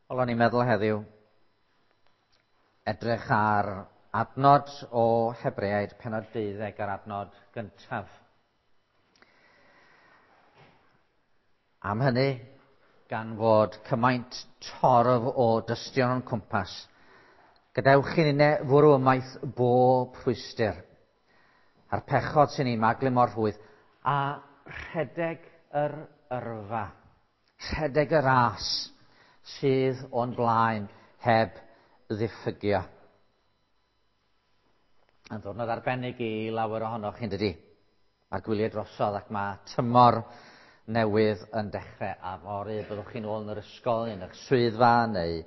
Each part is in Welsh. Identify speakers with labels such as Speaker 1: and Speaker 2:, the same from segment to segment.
Speaker 1: Wel, o'n i'n meddwl heddiw edrych ar adnod o Hebreaid pennod 12 a'r adnod gyntaf. Am hynny, gan fod cymaint torf o dystion o'n cwmpas, gadewch i ninne fwrw ymaith bob rhwystr, a'r pechod sy'n ni'n maglu mor rhwydd, a rhedeg yr yrfa, rhedeg y ras sydd o'n blaen heb ddiffygio. Yn ddwrnod arbennig i lawer ohonoch chi'n dydi? Mae'r gwyliau drosodd ac mae tymor newydd yn dechrau a fory byddwch chi'n ôl yn yr ysgol, yn eich swyddfa neu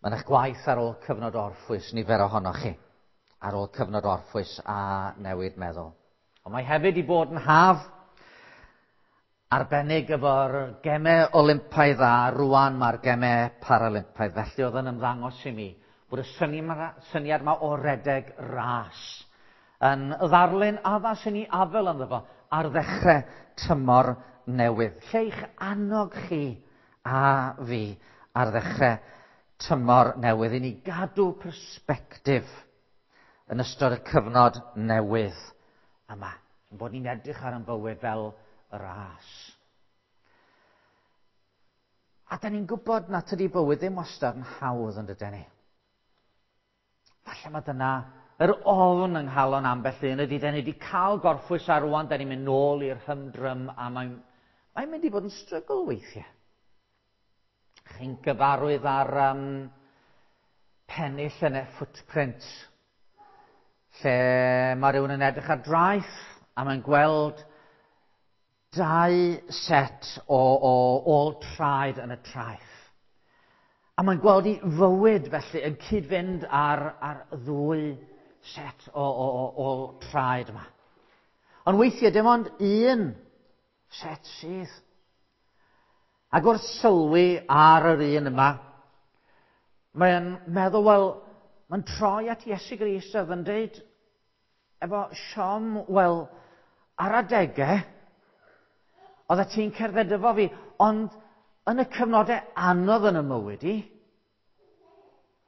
Speaker 1: yn eich gwaith ar ôl cyfnod orffwys, nifer ohonoch chi, ar ôl cyfnod orffwys a newid meddwl. Ond mae hefyd i bod yn haf arbennig efo'r gemau Olympaidd a rwan mae'r gemau Paralympaidd. Felly oedd yn ymddangos i mi bod y syniad yma o redeg ras yn ddarlun addas i ni afel ynddo fo ar ddechrau tymor newydd. Lle i'ch annog chi a fi ar ddechrau tymor newydd i ni gadw persbectif yn ystod y cyfnod newydd yma. Bod ni'n edrych ar ein bywyd fel ras. A da ni'n gwybod na tydi bywyd ddim wastad yn hawdd yn dydyn ni. Falle mae dyna yr ofn yng nghalon ambell un ydy, da ni wedi cael gorffwys ar rwan, da ni'n mynd nôl i'r hymdrym a mae'n mae mynd i fod yn strygl weithiau. Chi'n gyfarwydd ar pennill yn y footprint, lle mae rhywun yn edrych ar draeth a mae'n gweld dau set o ôl traed yn y traeth. A mae'n gweld i fywyd felly yn cyd-fynd ar ddwy set o ôl traed yma. Ond weithiau dim ond un set sydd. Ac wrth sylwi ar yr un yma, mae'n meddwl, wel, mae'n troi at Iesu Grist a yn dweud, efo siom, wel, ar adegau, oeddet ti'n cerdded efo fi, ond yn y cyfnodau anodd yn y mywyd i,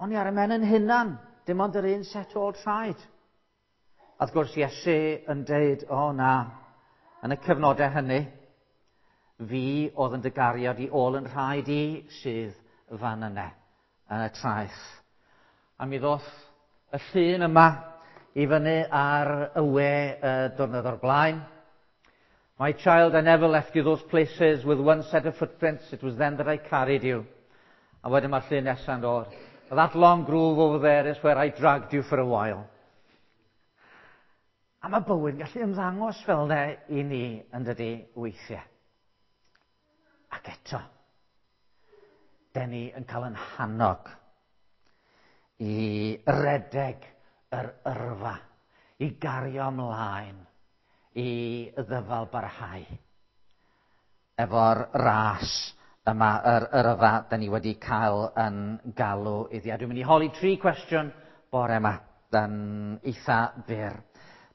Speaker 1: o'n i ar y men yn hunan, dim ond yr un set ôl traed. A wrth gwrs Iesu yn deud, o na, yn y cyfnodau hynny, fi oedd yn dy gario di ôl yn rhaid i sydd fan yna, yn y traeth. A mi ddoth y llun yma i fyny ar y we diwrnod o'r blaen. My child, I never left you those places with one set of footprints. It was then that I carried you. A wedyn mae'r llun nesaf yn dod. That long groove over there is where I dragged you for a while. A mae bywyd yn gallu ymddangos fel yna i ni yn dydi weithiau. Ac eto, den ni yn cael yn hannog i redeg yr yrfa, i gario ymlaen, i ddyfal barhau. Efo'r ras yma, yr yrfa, da ni wedi cael yn galw iddi. A dwi'n mynd i holi tri cwestiwn bore yma, yn eitha byr.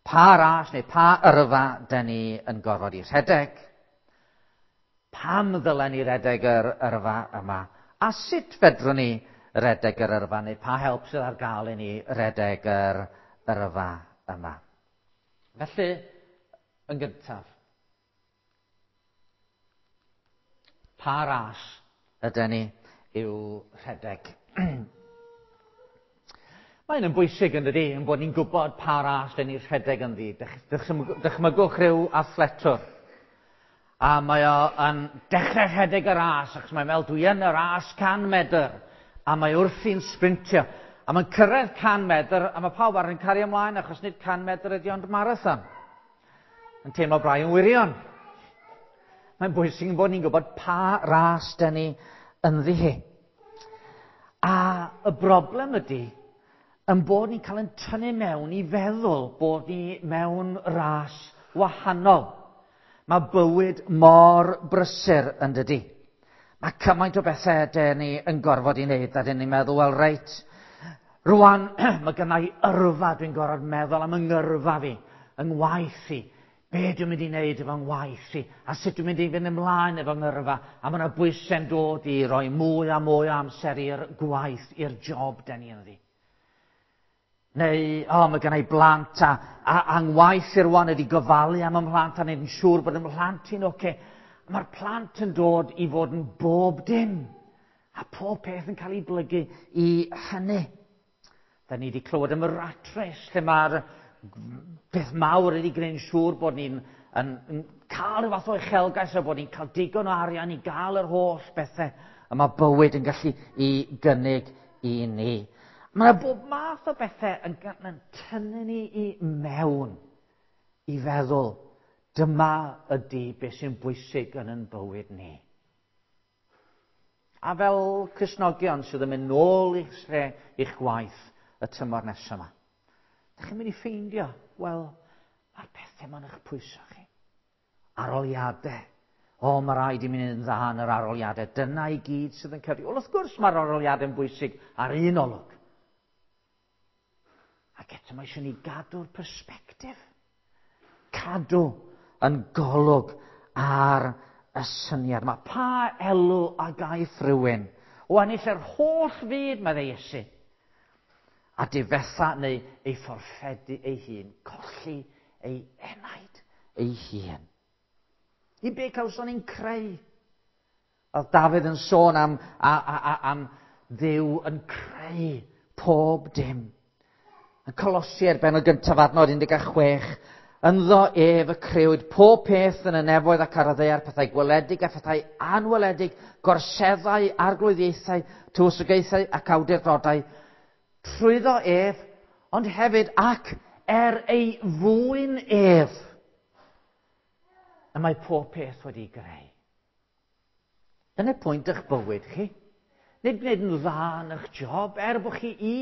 Speaker 1: Pa ras neu pa yrfa da ni yn gorfod i rhedeg? Pam ddylen ni redeg yr yrfa yma? A sut fedrwn ni redeg yr yrfa, neu pa help sydd ar gael i ni redeg yr yrfa yma? Felly, yn gyntaf, pa ras ydyn ni i'w rhedeg? Mae'n yn bwysig yn dydi, yn bod ni'n gwybod pa ras dyn ni'n rhedeg ynddi. Dychmygwch rhyw athletwr. A mae o yn dechrau rhedeg y ras, achos mae'n meddwl, dwi yn y ras 100 medr. A mae wrthi'n sprintio. A mae'n cyrraedd 100 medr, a mae pawb arall yn cario ymlaen, achos nid 100 medr ydi ond marathon. Yn teimlo braidd yn wirion. Mae'n bwysig yn bod ni'n gwybod pa ras dyn ni ynddi hi. A y broblem ydy, yn bod ni'n cael yn tynnu mewn i feddwl bod ni mewn ras wahanol. Mae bywyd mor brysur yn dydi. Mae cymaint o bethau dyn ni yn gorfod i wneud a dyn ni'n meddwl, wel reit, rwan mae gynna i yrfa, dwi'n gorfod meddwl am yng ngyrfa fi, yng ngwaith i. Be dwi'n mynd i wneud efo ngwaith i, a sut dwi'n mynd i fynd ymlaen efo ngyrfa, a mae yna bwysau'n dod i roi mwy a mwy o amser i'r gwaith, i'r job den ni ynddi. Neu, o, mae gen i blant a ngwaith i rwan ydi gofalu am y mhlant a wneud yn siŵr bod y mhlant i'n oce. Mae'r plant yn dod i fod yn bob dim. A pob peth yn cael ei blygu i hynny. Da ni wedi clywed am y rat race, lle mae'r peth mawr ydi gwneud yn siŵr bod ni'n yn cael rhyw fath o uchelgais a bod ni'n cael digon o arian i gael yr holl bethau y mae bywyd yn gallu i gynnig i ni. Mae yna bob math o bethau yn tynnu ni i mewn i feddwl dyma ydy beth sy'n bwysig yn yn bywyd ni. A fel Cristnogion sydd yn mynd nôl i'ch lle, i'ch gwaith y tymor nesaf yma, da chi'n mynd i ffeindio, wel, mae'r pethau ma'n eich pwyso chi. Aroliadau. O, mae rhaid i mi wneud yn dda yn yr aroliadau. Dyna i gyd sydd yn cyfri. Wel, wrth gwrs mae'r aroliadau'n bwysig ar un olwg. Ac eto mae eisiau ni gadw'r persbectif. Cadw yn golwg ar y syniad. Mae pa elw a gaiff rhywun o ennill yr holl fyd, meddai Iesu, a difetha neu ei fforffedu ei hun, colli ei enaid ei hun. I be cawson ni'n creu? Oedd Dafydd yn sôn am Dduw yn creu pob dim. Yn Colosiaid bennod gyntaf adnod 16, ynddo ef y crëwyd pob peth yn y nefoedd ac ar y ddaear, pethau gweledig a phethau anweledig, gorseddau, arglwyddiaethau, tywysogaethau ac awdurdodau, trwyddo ef, ond hefyd ac er ei fwyn ef, y mae pob peth wedi greu. Dyna pwynt eich bywyd chi. Nid gwneud yn dda yn eich job, er bod chi i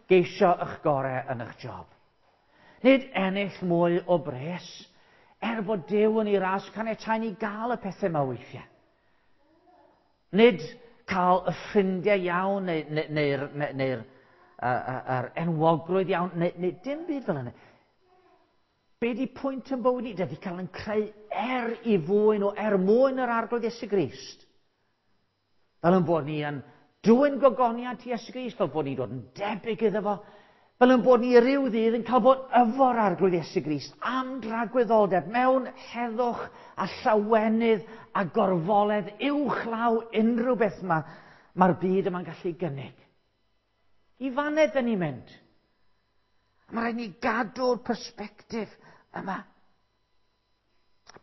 Speaker 1: geisio eich gorau yn eich job. Nid ennill mwy o bres, er bod Duw yn ei ras caniatáu ni gael y pethau yma weithiau. Nid cael y ffrindiau iawn neu'r enwogrwydd iawn, neu dim byd fel yna. Be di pwynt yn bywyd ni? Dydy cael yn creu er i fwyn o er mwyn yr Arglwydd Iesu Grist. Fel yn bod ni yn dwyn gogoniant Iesu Grist, fel bod ni'n dod yn debyg iddo fo, fel yn bod ni ryw ddydd yn cael bod efo'r Arglwydd Iesu Grist am dragwyddoldeb mewn heddwch a llawenydd a gorfoledd uwchlaw unrhyw beth mae'r byd yma'n gallu gynnig. I faned dyn ni'n mynd. Mae rhaid ni gadw'r persbectif yma.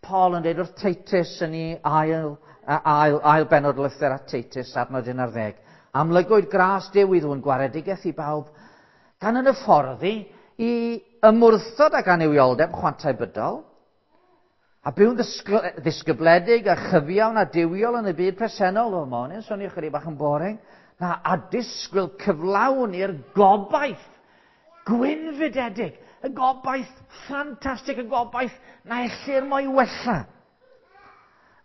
Speaker 1: Paul yn dweud wrth Titus yn ei ail bennod lythyr at Titus, adnod 11. Amlygwyd gras Duw i ddwyn gwaredigaeth i bawb, gan yn y fforddi i ymwrthod ag annuwioldeb chwantau bydol, a byw'n ddisgybledig a chyfiawn a duwiol yn y byd presennol. O, ma' hwnna'n swnio chydig bach yn boring. Na, a disgwyl cyflawn i'r gobaith gwynfydedig, y gobaith ffantastig, y gobaith na ellir mo'i wella.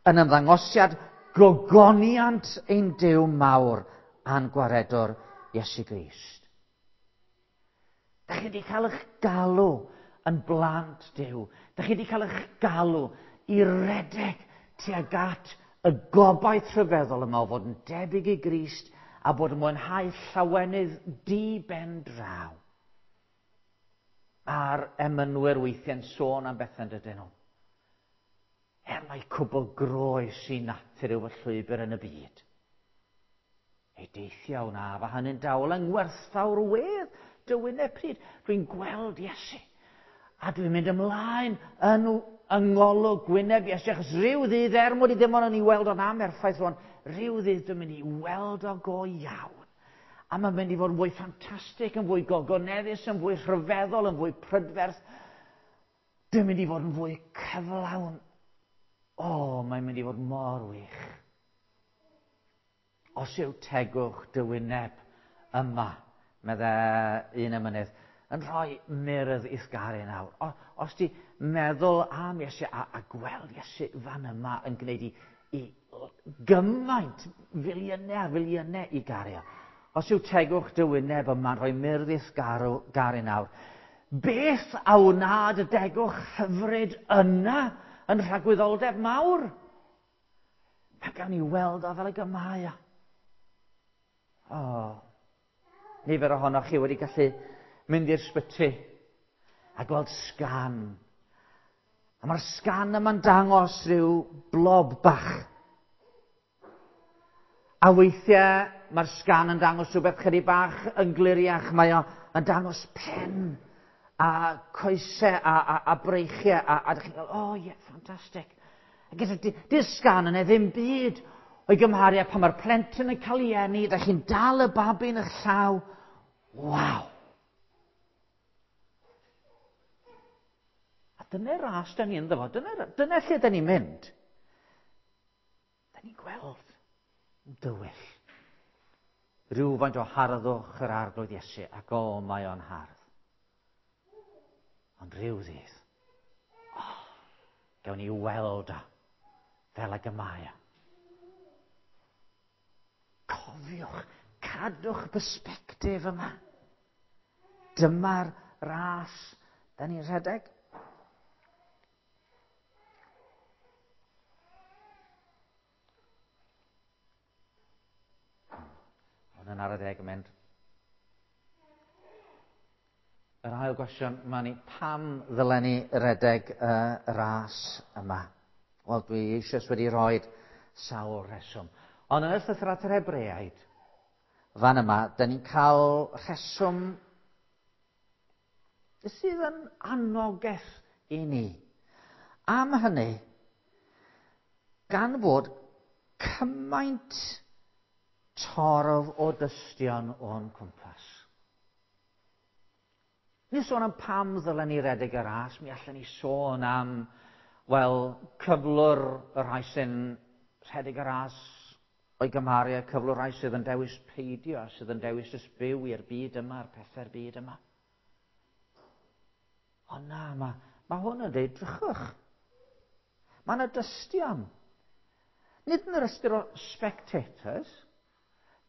Speaker 1: Yn ymddangosiad gogoniant ein Duw mawr a'n gwaredwr Iesu Grist. Da chi wedi cael eich galw yn blant Duw. Da chi wedi cael eich galw i redeg tuag at y gobaith rhyfeddol yma o fod yn debyg i Grist a bod yn mwynhau llawenydd di-ben draw. A'r emynwyr weithiau'n sôn am bethau dydyn nhw. Er mai cwbl groes i natur yw fy llwybr yn y byd. Ei deithio wna fa hynny'n dawel yng ngwerthfawr wedd dy wyneb pryd. Dwi'n gweld Iesu. A dwi'n mynd ymlaen yn yng ngolwg gwyneb Iesu. Achos rhyw ddydd, er mod i ddim ond yn ei weld o'n amherffaith rwan, rhyw ddydd dwi'n mynd i weld o go iawn. A mae'n mynd i fod yn fwy ffantastig, yn fwy gogoneddus, yn fwy rhyfeddol, yn fwy prydferth. Dwi'n mynd i fod yn fwy cyflawn. O, mae'n mynd i fod mor wych. Os yw tegwch dy wyneb yma, meddai un emynydd, yn rhoi myrdd i'th garu nawr. Os ti meddwl am Iesu a gweld Iesu fan yma yn gwneud i gymaint, filiynau a filiynau i gario. Os yw tegwch dy wyneb yma'n rhoi myrdd i'th garu nawr, Beth a wnad y degwch hyfryd yna yn rhagwyddoldeb mawr? Mae gawn ni weld o fel y gymau. O, nifer ohonoch chi wedi gallu mynd i'r sbyty a gweld sgan. A mae'r sgan yma'n dangos rhyw blob bach. A weithiau mae'r sgan yn dangos rhywbeth chydig bach yn gliriach. Mae o yn dangos pen a coesau a breichiau. A dych chi'n gael, oh ie, yeah, ffantastig. A gyda di'r sgan yna ddim byd o'i gymharu â pan mae'r plentyn yn cael ei eni, dych chi'n dal y babi yn eich llaw. Waw! A dyna'r ras da ni ynddo fo. Dyna lle da ni'n mynd. Da ni'n gweld yn dywyll rhywfaint o harddwch yr Arglwydd Iesu, ac o, mae o'n hardd. Ond rhyw ddydd, oh, gawn ni weld o fel ag y mae o. Cofiwch, cadwch perspectif yma. Dyma'r ras da ni'n rhedeg. Ond yn ar y deg yn mynd. Yr ail gwestiwn, mae ni, pam ddylen ni redeg y ras yma? Wel, dwi eisoes wedi rhoi sawl rheswm. Ond yn y llythyr at yr Hebreaid, fan yma, da ni'n cael rheswm sydd yn anogaeth i ni. Am hynny, gan fod cymaint torf o dystion o'n cwmpas. Ni sôn am pam ddylen ni redeg y ras, mi allan ni sôn am, wel, cyflwr y rhai sy'n rhedeg y ras o'i gymharu â cyflwr rhai sydd yn dewis peidio, sydd yn dewis jyst byw i'r byd yma, a'r pethau'r byd yma. Ond na, mae hwn yn dweud, drychwch. Mae yna dystion. Nid yn yr ystyr o spectators.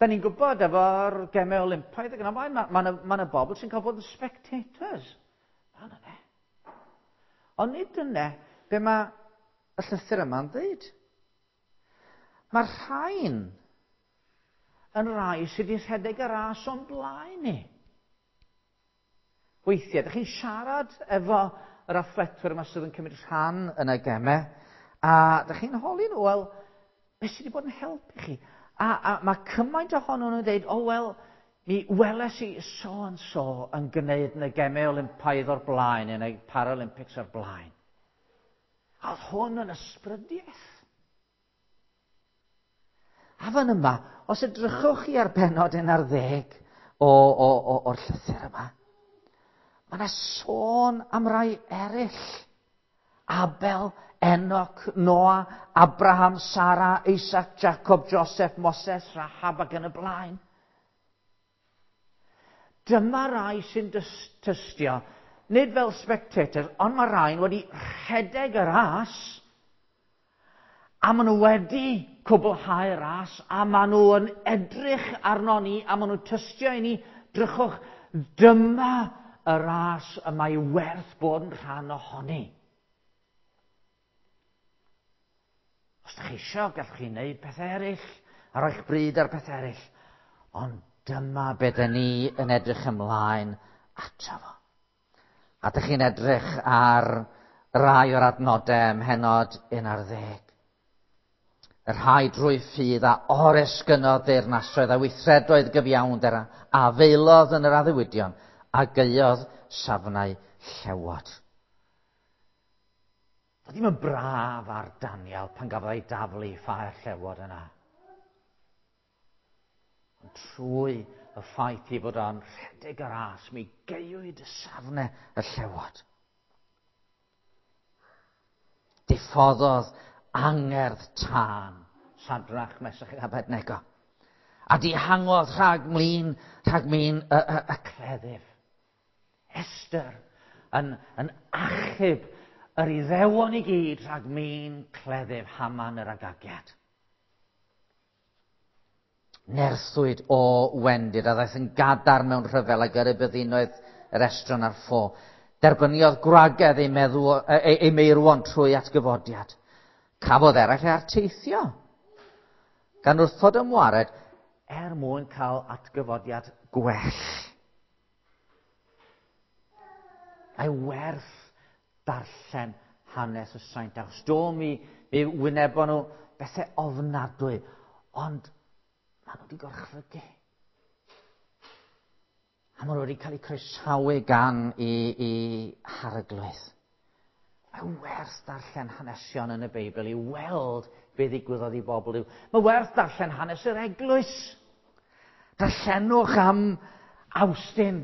Speaker 1: Da ni'n gwybod efo'r gemau Olympaidd ac yn y blaen, mae yna bobl sy'n cael bod yn spectators. Na, na, ne. Ond nid dyna be mae y llythyr yma'n dweud. Mae'r rhain yn rai sydd wedi rhedeg y ras o'n blaen ni. Weithiau, ydych chi'n siarad efo yr athletwyr yma sydd yn cymryd rhan yn y gemau, a ydych chi'n holi nhw, wel, beth sydd wedi bod yn helpu chi? A mae cymaint ohonyn nhw'n dweud, o wel, mi weles i so and so yn gwneud yn y gemau Olympaidd o'r blaen, yn y Paralympics o'r blaen. A oedd hwn yn ysbrydiaeth. A fan yma, os edrychwch chi ar bennod 11 o'r llythyr yma, mae yna sôn am rai eraill. Abel, Enoch, Noah, Abraham, Sarah, Isaac, Jacob, Joseph, Moses, Rahab ac yn y blaen. Dyma rai sy'n tystio, nid fel spectators, ond mae rhain wedi rhedeg y ras, a maen nhw wedi cwblhau'r ras, a maen nhw yn edrych arno ni, a maen nhw'n tystio i ni, drychwch, dyma y ras y mae werth bod yn rhan ohoni. Os ydych chi eisiau, gallwch chi wneud pethau eraill, a roi'ch bryd ar pethau eraill. Ond dyma be dyn ni yn edrych ymlaen ato fo. A dych chi'n edrych ar rai o'r adnodau ym mhennod 11. Y rhai drwy ffydd a oresgynnodd deyrnasoedd a weithredoedd gyfiawnder a feilodd yn yr addewidion a gaeodd safnau llewod. Doedd ddim yn braf ar Daniel pan gafodd ei daflu i ffair llewod yna. Ond trwy y ffaith i fod o'n rhedeg y ras, mi gaewyd y safnau y llewod. Diffoddodd angerdd tân Sadrach, Mesach ac Abednego. A dihangodd rhag mlin, rhag min y cleddyf. Esther yn achub yr Iddewon i gyd rhag min cleddyf Haman yr Agagiad. Nerthwyd o wendid a ddaeth yn gadarn mewn rhyfel a gyrru byddinoedd yr estron ar ffo. Derbyniodd gwragedd ei meirwon trwy atgyfodiad. Cafodd eraill eu arteithio, gan wrthod ymwared er mwyn cael atgyfodiad gwell. Mae werth darllen hanes y saint, achos do mi wynebon nhw bethau ofnadwy, ond maen nhw wedi gorchfygu. A maen nhw wedi cael eu croesawu gan i harglwydd. Mae werth darllen hanesion yn y Beibl i weld be ddigwyddodd i bobl yw. Mae werth darllen hanes yr eglwys. Darllenwch am Awstin,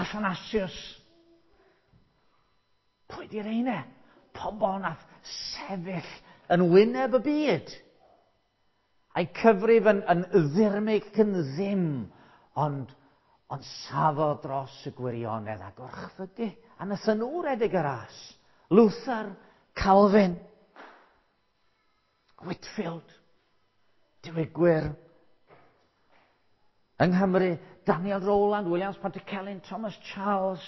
Speaker 1: Athanasius. Pwy di'r eine? Pobl nath sefyll yn wyneb y byd. A'i cyfrif yn ddirmyg ac yn ddim, ond safodd dros y gwirionedd a gorchfygu. A nathon nhw redeg y ras. Luther, Calvin, Whitefield, diwygwyr. Yng Nghymru, Daniel Rowland, Williams Pantycelyn, Thomas Charles.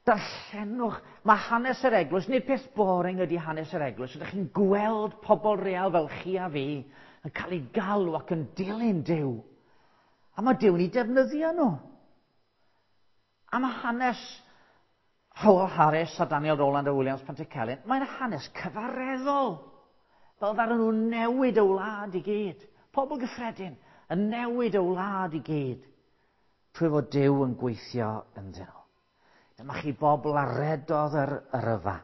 Speaker 1: Darllenwch, mae hanes yr eglwys, nid peth boring ydy hanes yr eglwys. Ydych chi'n gweld pobl real fel chi a fi yn cael eu galw ac yn dilyn Duw. A mae Duw'n eu defnyddio nhw. A mae hanes Howell Harris a Daniel Rowland a Williams Pantycelyn, mae'n hanes cyfareddol. Fel ddaru nhw newid y wlad i gyd. Pobl gyffredin yn newid y wlad i gyd. Trwy fod Duw yn gweithio ynddyn nhw. Dyma chi bobl a redodd yr yrfa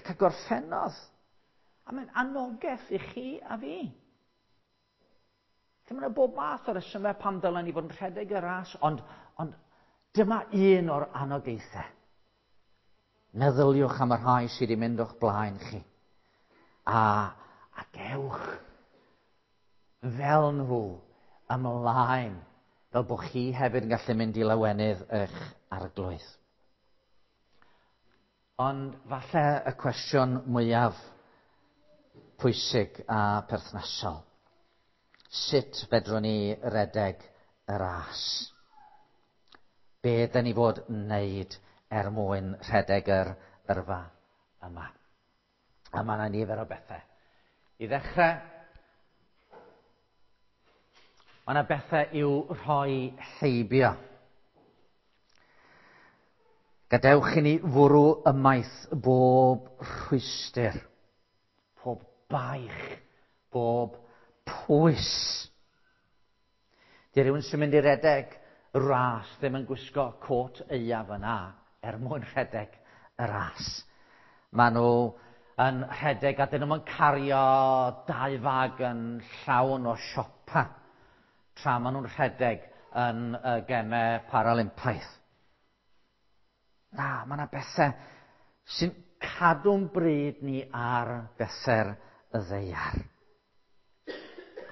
Speaker 1: ac a gorffennodd. A mae'n anogaeth i chi a fi. Lle mae yna bob math o resymau pam dylen ni fod yn rhedeg y ras, ond dyma un o'r anogaethau. Meddyliwch am y rhai sydd wedi mynd o'ch blaen chi. A gewch fel nhw ymlaen, fel bod chi hefyd yn gallu mynd i lawenydd eich arglwydd. Ond falle y cwestiwn mwyaf pwysig a perthnasol. Sut fedrwn ni redeg y ras? Be dyn ni fod wneud er mwyn rhedeg yr yrfa yma? A mae yna nifer o bethau. I ddechrau, mae yna bethau i'w rhoi heibio. Gadewch i ni fwrw ymaith bob rhwystr, pob baich, bob pwys. Di rhywun sy'n mynd i redeg ras ddim yn gwisgo cot aeaf yna er mwyn rhedeg y ras. Maen nhw yn rhedeg a dyn nhw'n cario 2 fag yn llawn o siopa tra maen nhw'n rhedeg yn y gemau Paralympaidd. Na, mae yna bethau sy'n cadw'n bryd ni ar bethau'r y ddaear.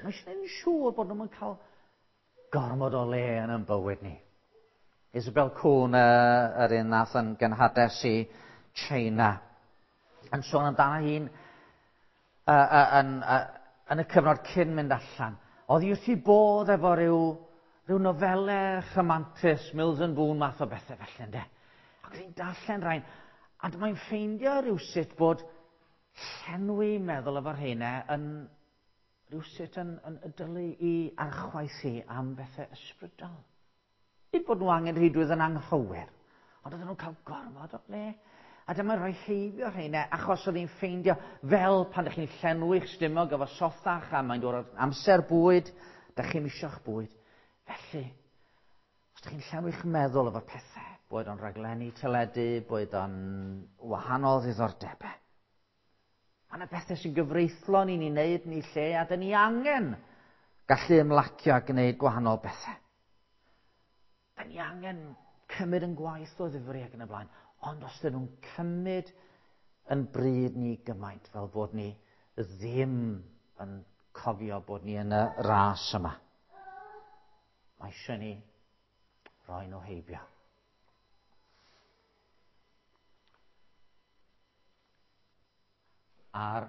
Speaker 1: Mae eisiau gwneud yn siŵr bod nhw'n cael gormod o le yn ein bywyd ni. Isabel Kuhn, yr un nath yn genhades i China, yn sôn amdano hi'n yn y cyfnod cyn mynd allan. Oedd hi wrth ei bodd efo rhyw nofelau rhamantus, Mills and Boon math o bethau felly, ynde? Ac oedd hi'n darllen rhain, a dyma'n ffeindio rhywsut bod llenwi meddwl efo'r rheina yn rhywsut yn dylu i archwaith hi am bethau ysbrydol. Nid bod nhw angen rheidrwydd yn anghywir, ond oedden nhw'n cael gormod o le. A dyma'n rhoi heibio rheina, achos oedd hi'n ffeindio fel pan ydych chi'n llenwi'ch stumog efo sothach a mae'n dod o'r amser bwyd, dych chi'n isio'ch bwyd. Felly, os ydych chi'n llenwi'ch meddwl efo pethau, boed o'n rhaglenni teledu, boed o'n wahanol ddiddordebau. Mae yna bethau sy'n gyfreithlon i ni wneud ni lle, a dyn ni angen gallu ymlacio a gwneud gwahanol bethau. Dyn ni angen cymryd yn gwaith o ddifri ac yn y blaen, ond os dyn nhw'n cymryd yn bryd ni gymaint fel bod ni ddim yn cofio bod ni yn y ras yma, mae eisiau ni roi nhw heibio. A'r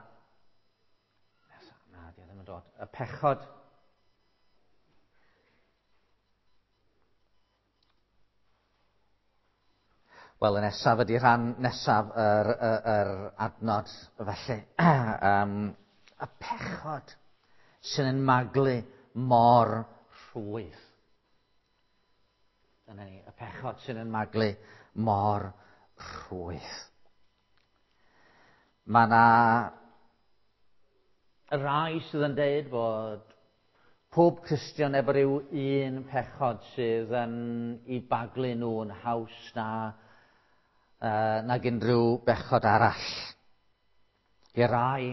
Speaker 1: na, di o ddim yn dod. Y pechod Wel, y nesaf ydy rhan nesaf yr adnod, felly. Y pechod sy'n yn maglu mor rhwydd. Dyna ni, y pechod sy'n yn maglu mor rhwydd. Mae yna rai sydd yn deud bod pob Cristion efo rhyw un pechod sydd yn i baglu nhw'n haws nag unrhyw bechod arall. I rai,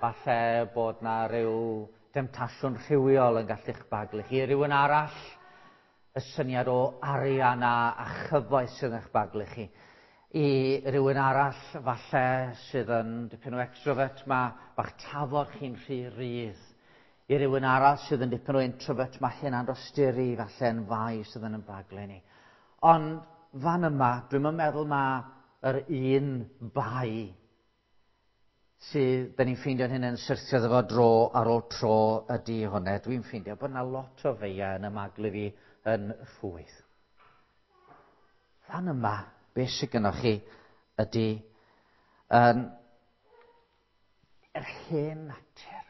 Speaker 1: falle bod na rhyw demtasiwn rhywiol yn gallu'ch baglu chi. I rywun arall, y syniad o arian a chyfoeth sydd yn eich baglu chi. I rywun arall, falle sydd yn dipyn o extrovert, mae bach tafod chi'n rhy rydd. I rywun arall sydd yn dipyn o introvert, mae hynna'n dosturi, falle yn fai sydd yn baglu ni. Ond fan yma, dwi'm yn meddwl mae yr un bai sydd da ni'n ffeindio'n hyn yn syrthio iddo fo dro ar ôl tro ydy hwnna. Dwi'n ffeindio bod yna lot o feiau yn y maglu fi yn rhwydd. Fan yma, beth sydd gynnwch chi ydy yr hen natur.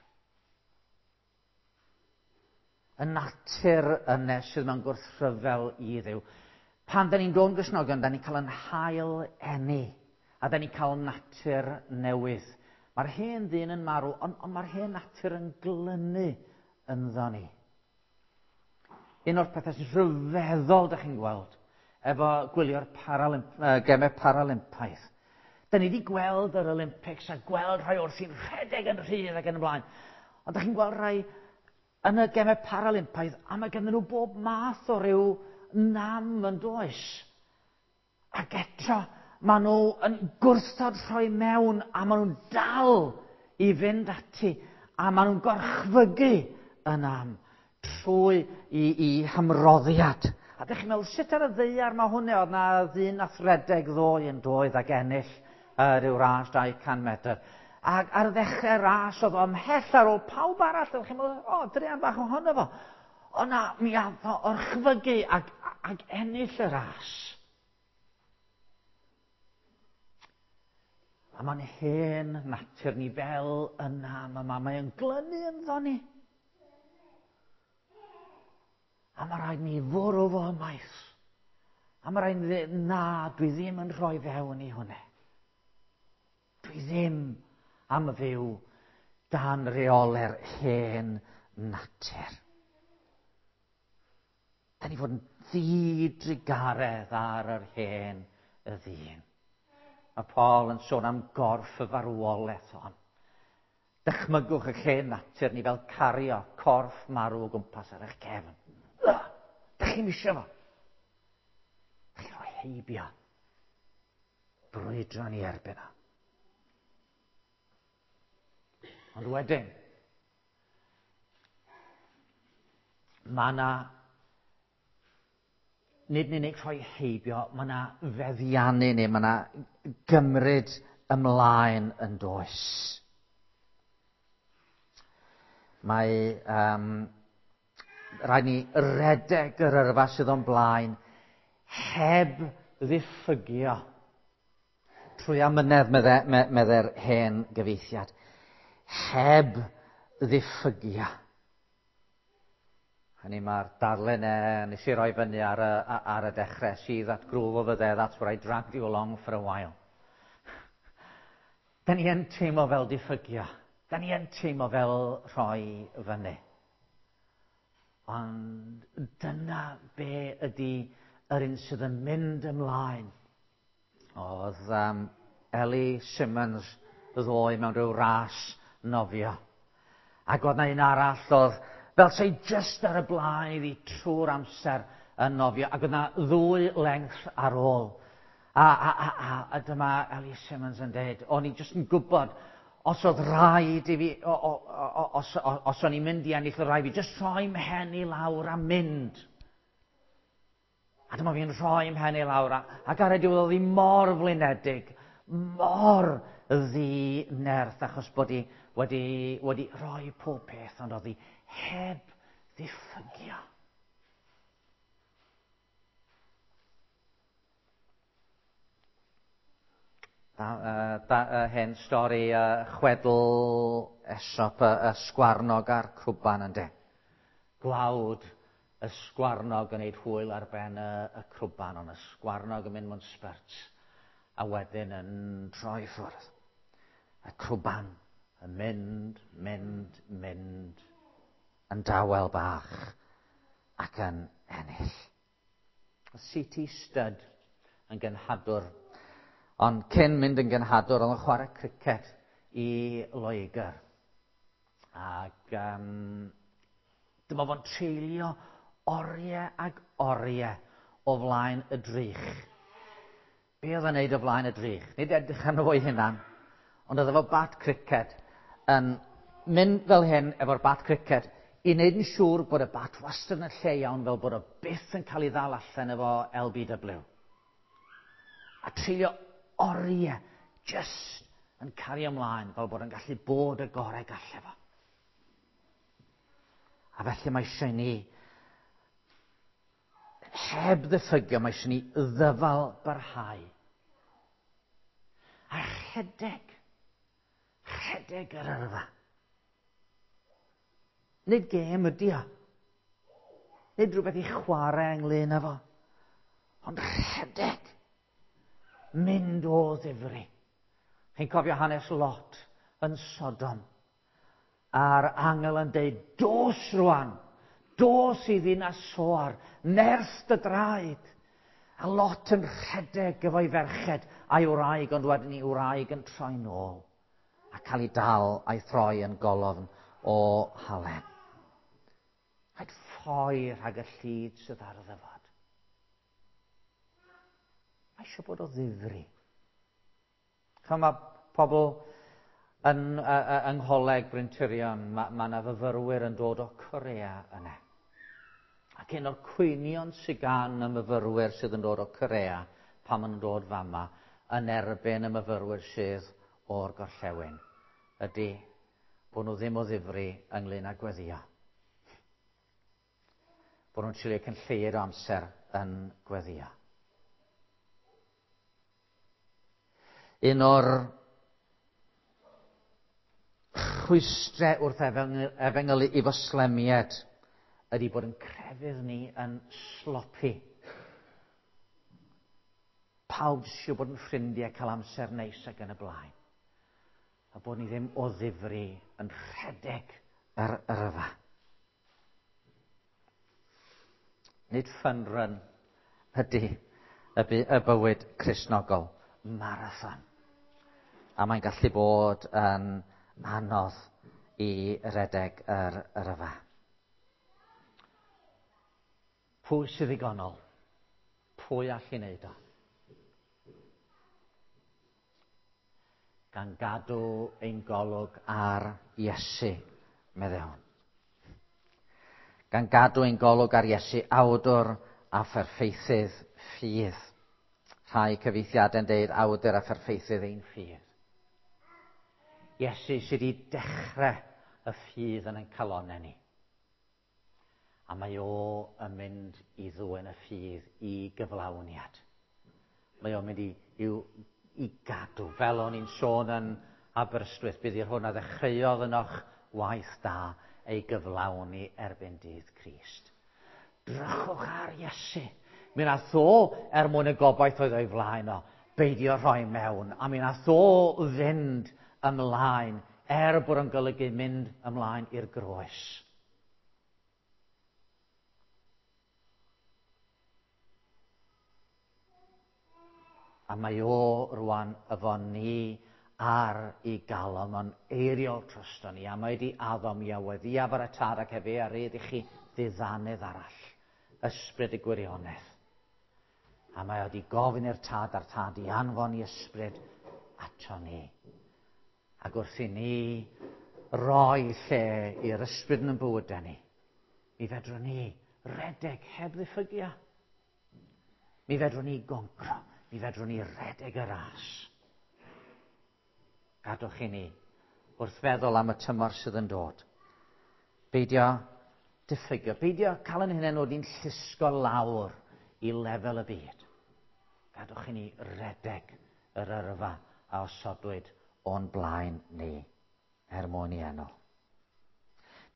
Speaker 1: Y natur yna sydd mewn gwrthryfel i Dduw. Pan da ni'n dod yn Gristnogion, da ni'n cael yn hail eni, a da ni'n cael natur newydd. Mae'r hen ddyn yn marw, ond mae'r hen natur yn glynu ynddo ni. Un o'r pethau sy'n rhyfeddol da chi'n gweld, efo gwylio'r gemau Paralympaidd. Da ni wedi gweld yr Olympics a gweld rhai o'r sy'n rhedeg yn rhydd ac yn y blaen. Ond da chi'n gweld rhai yn y gemau Paralympaidd, a mae ganddyn nhw bob math o ryw nam yn does. Ac eto, maen nhw yn gwrthod rhoi mewn, a maen nhw'n dal i fynd ati, a maen nhw'n gorchfygu y nam trwy i hymroddiad. A dych chi'n meddwl, sut ar y ddaear mae hwnna? Oedd na ddyn nath redeg ddoe yn doedd ac ennill rhyw ras 200 metr. Ac ar ddechrau ras oedd o ymhell ar ôl pawb arall. Oedd chi'n meddwl, o, druan bach ohono fo. O na, mi ath o orchfygu ac ennill y ras. A mae'n hen natur ni fel yna, mae'n glynu ynddo ni. A mae rhaid ni fwrw fo ymaith. A mae rhaid ni ddweud, na, dwi ddim yn rhoi fewn i hwnna. Dwi ddim am fyw dan reole'r hen natur. Da ni fod yn ddidrugaredd ar yr hen y ddyn. Mae Paul yn sôn am gorff y farwolaeth hon. Dychmygwch y lle natur ni fel cario corff marw o gwmpas ar eich cefn. Da chi'n eisiau fo? Da chi'n rhoi heibio. Brwydro ni erbyn o. Ond wedyn, mae yna, nid yn unig rhoi heibio, mae yna feddiannu neu mae yna gymryd ymlaen yn does. Mae rhaid ni redeg yr yrfa sydd o'n blaen heb ddiffygio. Trwy amynedd, medde'r hen gyfieithiad. Heb ddiffygio. Hynny mae'r darlun nes i roi fyny ar y dechrau. See that groove over there, that's where I dragged you along for a while. Da ni yn teimlo fel diffygio. Da ni yn teimlo fel rhoi fyny. Ond dyna be ydy yr un sydd yn mynd ymlaen. Oedd Ellie Simmons ddoe mewn rhyw ras nofio. Ac oedd na un arall oedd fel sei just ar y blaen iddi trwy'r amser yn nofio. Ac oedd na ddwy length ar ôl. A dyma Ellie Simmons yn dweud, o'n i just yn gwybod os oedd rhaid i fi, os o'n i'n mynd i ennill, oedd rhaid i fi just rhoi mhen i lawr a mynd. A dyma fi'n rhoi mhen i lawr, ac ar y diwedd oedd hi mor flinedig, mor ddi-nerth, achos bod hi wedi rhoi pob peth, ond oedd hi heb ddiffygio. Da, da, hen stori chwedl Aesop, y sgwarnog a'r crwban ynde. Gwawd y sgwarnog yn neud hwyl ar ben y crwban, ond y sgwarnog yn mynd mewn sbert a wedyn yn troi ffwrdd. Y crwban yn mynd, mynd, mynd yn dawel bach ac yn ennill. C.T. Studd yn genhadwr, ond cyn mynd yn genhadwr oedd yn chwarae criced i Loegr. Ac dyma fo'n treulio oriau ag oriau o flaen y drych. Be oedd yn neud o flaen y drych? Nid edrych arno fo'i hunan, ond oedd efo bat criced yn mynd fel hyn efo'r bat criced i wneud yn siŵr bod y bat wastad yn y lle iawn fel bod o byth yn cael ei ddal allan efo LBW. A treulio oriau jyst yn cario ymlaen fel bod yn gallu bod y gorau galle fo. A felly mae eisiau ni, heb ddiffygio, mae eisiau ni ddyfal barhau. A rhedeg yr yrfa. Nid gêm ydi o. Nid rhywbeth i chwarae ynglyn â fo. Ond rhedeg. Mynd o ddifri. Chi'n cofio hanes Lot yn Sodom. A'r angel yn deud, dos rwan, dos i ddinas Soar, nerth dy draed. A Lot yn rhedeg efo'i ferched a'i wraig, ond wedyn ei wraig yn troi nôl a cael ei dal a'i throi yn golofn o halen. Rhaid ffoi rhag y llid sydd ar y ddyfod. Mae eisiau bod o ddifri. Ch'mo, mae pobl yn, yng Ngholeg Bryntirion, mae yna fyfyrwyr yn dod o Corea yna. Ac un o'r cwynion sydd gan y myfyrwyr sydd yn dod o Corea pan maen nhw'n dod fama yn erbyn y myfyrwyr sydd o'r gorllewin ydy bod nhw ddim o ddifri ynglyn â gweddio. Bod nhw'n treulio cyn lleied o amser yn gweddio. Un o'r rhwystrau wrth efengylu i foslemiaid ydy bod yn crefydd ni yn sloppy. Pawb eisiau bod yn ffrindiau, cael amser neis ac yn y blaen. A bod ni ddim o ddifri yn rhedeg yr yrfa. Nid fun run ydy y bywyd Cristnogol. Marathon. A mae'n gallu bod yn anodd i redeg yr yrfa. Pwy sydd ddigonol? Pwy all i wneud o? Gan gadw ein golwg ar Iesu, meddai. Gan gadw ein golwg ar Iesu, awdwr a pherffeithydd ffydd. Rhai cyfieithiadau'n deud awdur a pherffeithydd ein ffydd. Iesu sydd wedi dechrau y ffydd yn ein calonnau ni. A mae o yn mynd i ddwyn y ffydd i gyflawniad. Mae o'n mynd i gadw. Fel o'n i'n sôn yn Aberystwyth, bydd i'r hwn a ddechreuodd ynoch waith da ei gyflawni erbyn dydd Crist. Drychwch ar Iesu. Mi nath o, er mwyn y gobaith oedd o'i flaen o, beidio rhoi mewn. A mi nath o fynd ymlaen, er bod o'n golygu mynd ymlaen i'r groes. A mae o rwan efo ni ar ei galon, mae'n eiriol drosto ni, a mae wedi addo mi a weddiaf ar y tad ac efe a rydd i chi ddiddanydd arall, ysbryd y gwirionedd. A mae wedi gofyn i'r tad a'r tad i anfon i ysbryd ato ni. Ac wrth i ni roi lle i'r ysbryd yn bywydau ni, mi fedrwn ni redeg heb ddiffygio. Mi fedrwn ni goncro, mi fedrwn ni redeg y ras. Gadwch i ni wrth feddwl am y tymor sydd yn dod. Beidio diffygio, beidio cael yn hunain wedi'n llusgo lawr i lefel y byd. Gadwch i ni redeg yr yrfa a osodwyd o'n blaen ni er mwyn i enw.